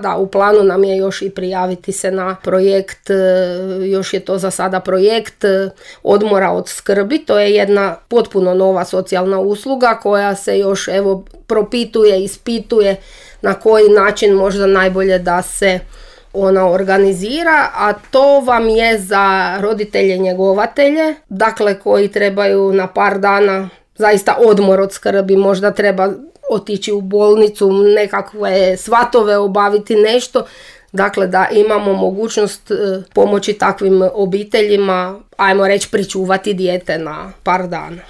da, u planu nam je još i prijaviti se na projekt, još je to za sada projekt odmora od skrbi. To je jedna potpuno nova socijalna usluga koja se još propituje, ispituje na koji način možda najbolje da se ona organizira, a to vam je za roditelje njegovatelje, dakle koji trebaju na par dana zaista odmor od skrbi, možda treba otići u bolnicu, nekakve svatove obaviti, nešto. Dakle, da imamo mogućnost pomoći takvim obiteljima, ajmo reći, pričuvati dijete na par dana.